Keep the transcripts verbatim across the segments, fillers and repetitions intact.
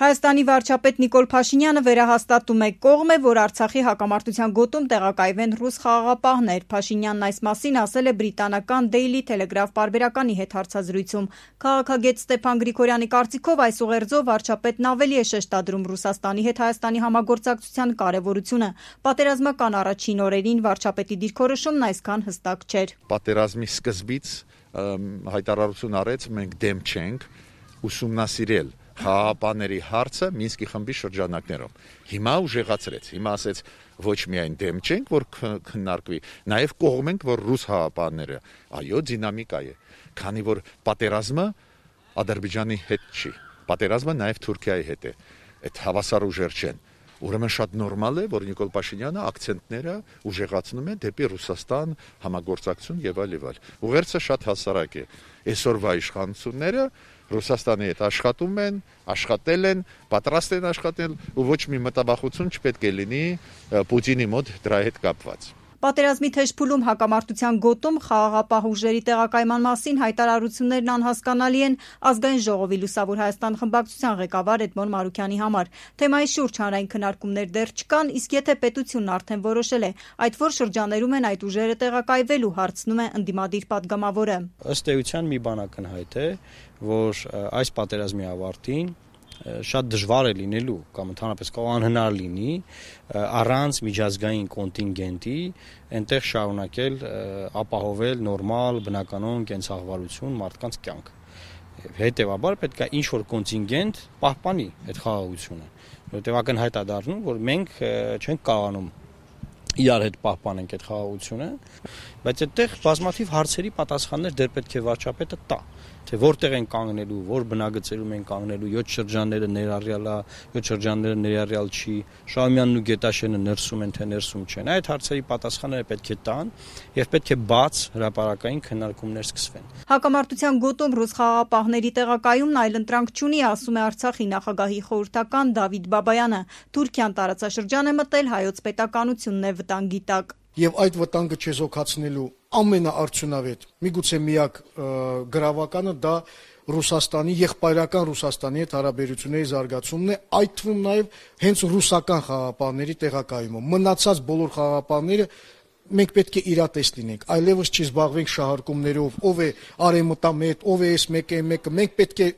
Հայաստանի վարչապետ Նիկոլ Փաշինյանը վերահաստատում է կողմ է, որ Արցախի հակամարտության գոտում տեղակայվեն ռուս խաղաղապահներ։ Փաշինյանն այս մասին ասել է բրիտանական Daily Telegraph պարբերականի հետ հարցազրույցում։ Քաղաքագետ Ստեփան Գրիգորյանի կարծիքով այս ուղերձով վարչապետն ավելի է շեշտադրում Ռուսաստանի հետ Հայաստանի համագործակցության կարևորությունը։ Պատերազմական առաջին օրերին վարչապետի դիրքորոշումն այսքան հստակ չէր։ Պատերազմի սկզբից հայտարարություն արեց, մենք դեմ չենք ուսումնասիրել խաղաղապահների հարցը Մինսկի խմբի շրջանակներում։ Հիմա ուժեղացրեց, հիմա ասեց ոչ միայն դեմ չենք, որ քննարկվի, նաև կողմ ենք, որ ռուս խաղաղապահները, այո, դինամիկա է, քանի որ պատերազմը Ադրբեջանի հետ չի, պատերազմը նաև Թուրքիայի հետ է, այդ հավասար ուժեր չեն։ Ուրեմն շատ նորմալ է, որ Նիկոլ Փաշինյանը ակցենտները ուժեղացնում է դեպի Ռուսաստան, համագործակցություն եւ այլ եւ այլ։ Ուղերձը շատ հասարակ է։ Այսօրվա իշխանությունները Ռուսաստանի հետ աշխատում են, աշխատել են, պատրաստ են աշխատել ու ոչ մի մտավախություն չպետք է լինի Պուտինի մոտ դրա հետ կապված։ Պատերազմի թեժ փուլում հակամարտության գոտում խաղաղապահ ուժերի տեղակայման մասին հայտարարություններն անհասկանալի են Ազգային ժողովի Լուսավոր Հայաստան խմբակցության ղեկավար Էդմոն Մարուքյանի համար։ Թեմայի շուրջ հանրային քննարկումներ դեռ չկան, իսկ եթե պետությունն արդեն որոշել է, այդ որ շրջաներում են այդ ուժերը տեղակայվելու, հարցնում է ընդդիմադիր падգամավորը։ Ըստ էության մի բան ակնհայտ է, որ այս պատերազմի ավարտին շատ դժվար է լինելու կամ ընդհանրապես կարող անհնար լինի առանց միջազգային կոնտինգենտի այնտեղ շարունակել ապահովել նորմալ բնականոն կենցաղվալություն մարդկանց կյանք։ Հետևաբար պետք է ինչ-որ կոնտինգենտ պահպանի այդ խաղաղությունը, որովհետև ակնհայտ է դառնում, որ մենք չենք կարողանում իրար հետ պահպանենք այդ խաղաղությունը, բայց այդտեղ բազմաթիվ հարցերի պատասխաններ դեռ պետք է վարչապետը տա, թե որտեղ են կանգնելու, որ բնագծերում են կանգնելու, յոթ շրջանները ներառյալ է, յոթ շրջանները ներառյալ չի, Շահումյանն ու Գետաշենը ներսում են, թե ներսում չեն։ Այդ հարցերի պատասխանները պետք է տան եւ պետք է բաց հրապարակային քննարկումներ սկսվեն։ Հակամարտության գոտում ռուս խաղաղապահների տեղակայումն այլընտրանք չունի, ասում է Արցախի նախագահի խորհրդական Դավիթ Բաբայանը։ Թուրքիան տարածաշրջան է մտել հայոց պետականությունն է վտանգի տակ։ Եվ այդ վտանգը չեզոքացնելու ամենաարդյունավետ, միգուցե միակ գրավականը դա Ռուսաստանի, եղբայրական Ռուսաստանի հետ հարաբերությունների զարգացումն է, այդ թվում նաև հենց ռուսական խաղաղապահների տեղակայումը։ Մնացած բոլոր խաղաղապահները մենք պետք է իրատես լինենք, այլևս չի զբաղվենք շահարկումներով, ով է արևմտամետ, ով է էս մեկը, մեկը, մենք պետք է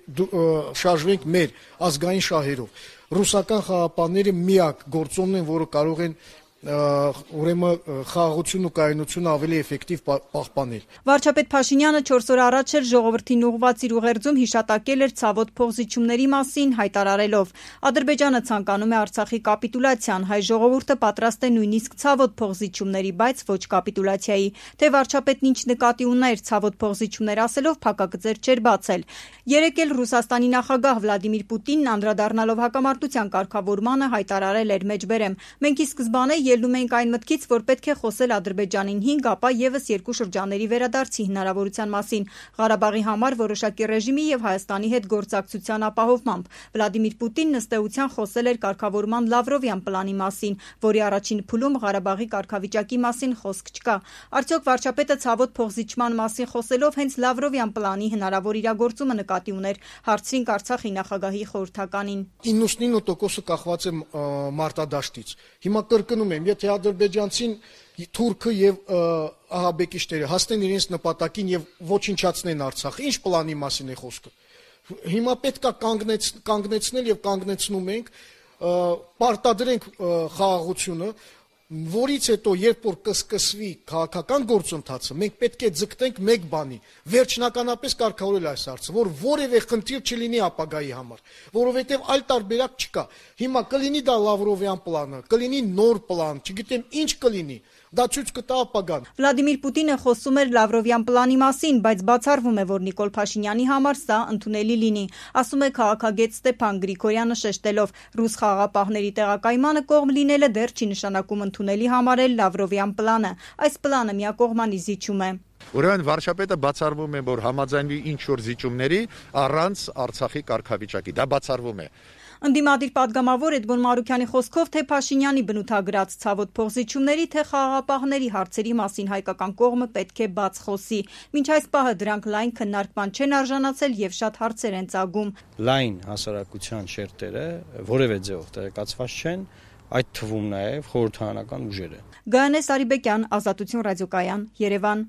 շարժվենք մեր ազգային շահերով։ Ռուսական խաղաղապահները միակ գործոնն են, որը կարող են ուրեմն խաղաղությունն ու կայունությունը ավելի էֆեկտիվ պահպանել։ Վարչապետ Փաշինյանը չորս օր առաջ էր ժողովրդին ուղղված իր ուղերձում հիշատակել էր ցավոտ փոխզիջումների մասին, հայտարարելով. Ադրբեջանը ցանկանում է Արցախի կապիտուլյացիան, հայ ժողովուրդը պատրաստ է նույնիսկ ցավոտ փոխզիջումների, բայց ոչ կապիտուլյացիայի։ Թե վարչապետն ինչ նկատի ուներ ցավոտ փոխզիջումներ ասելով, փակագծեր չէր բացել։ Երեկ էլ Ռուսաստանի նախագահ Վլադիմիր Պուտինն անդրադառնալով հակամարտության կարգավորմանը հայտարարել էր մեջբերեմ. Մենք ի սկզբանե ելնում ենք այն մտքից, որ պետք է խոսել Ադրբեջանին հինգ, ապա եւս երկու շրջանների վերադարձի հնարավորության մասին, Ղարաբաղի համար որոշակի ռեժիմի եւ Հայաստանի հետ գործակցության ապահովմամբ։ Վլադիմիր Պուտինն ըստ էության խոսել էր կարգավորման Լավրովյան պլանի մասին, որի առաջին փուլում Ղարաբաղի կարգավիճակի մասին խոսք չկա։ Արդյոք վարչապետը ցավոտ փոխզիջման մասին խոսելով հենց Լավրովյան պլանի հնարավոր իրագործումը նկատի ուներ, հարցրինք Արցախի նախագահի խորհրդականին։ իննսունինը տոկոսը կախված է մարտադաշտից։ Հիմա կրկնում եմ, եթե ադրբեջանցին, թուրքը եւ ահաբեկիչները հասնեն իրենց նպատակին եւ ոչնչացնեն Արցախը, ինչ պլանի մասին է խոսքը։ Հիմա պետք է կանգնեց, կանգնեցնել եւ կանգնեցնում ենք, պարտադրենք խաղաղությունը, որից հետո երբ որ կսկսվի քաղաքական գործընթացը, մենք պետք է ձգտենք մեկ բանի, վերջնականապես կարգավորել այս հարցը, որ որևէ խնդիր չլինի ապագայի համար, որովհետև այլ տարբերակ չկա։ Հիմա կլինի դա Լավրովյան պլանը, կլինի նոր պլան, չգիտեմ ինչ կլինի, դա ցույց կտա ապագան։ Վլադիմիր Պուտինը խոսում էր Լավրովյան պլանի մասին, բայց բացառվում է, որ Նիկոլ Փաշինյանի համար սա ընդունելի լինի, ասում է քաղաքագետ Ստեփան Գրիգորյանը շեշտելով. ռուս խաղաղապահների տեղակայմանը կողմ լինելը դեռ չի նշանակում ընդունելի համարել Լավրովյան պլանը։ Այս պլանը միակողմանի զիջում է։ Ուրեմն վարչապետը բացառվում է, որ համաձայնվի ինչ որ զիջումների առանց Արցախի կարգավիճակի, դա բացառվում է։ Ընդդիմադիր պատգամավոր Էդգոն Մարուքյանի խոսքով թե Փաշինյանի բնութագրած ցավոտ փոխզիջումների, թե խաղաղապահների հարցերի մասին հայկական կողմը պետք է բաց խոսի։ Մինչ այս պահը դրանք լայն քննարկման չեն արժանացել եւ շատ հարցեր են ծագում։ Լայն հասարակության շերտերը որևէ ձեւով տեղեկացված չեն, այդ թվում նաեւ խորհրդարանական ուժերը։ Գայանե Սարիբեկյան, Ազատություն ռադիոկայան, Երևան։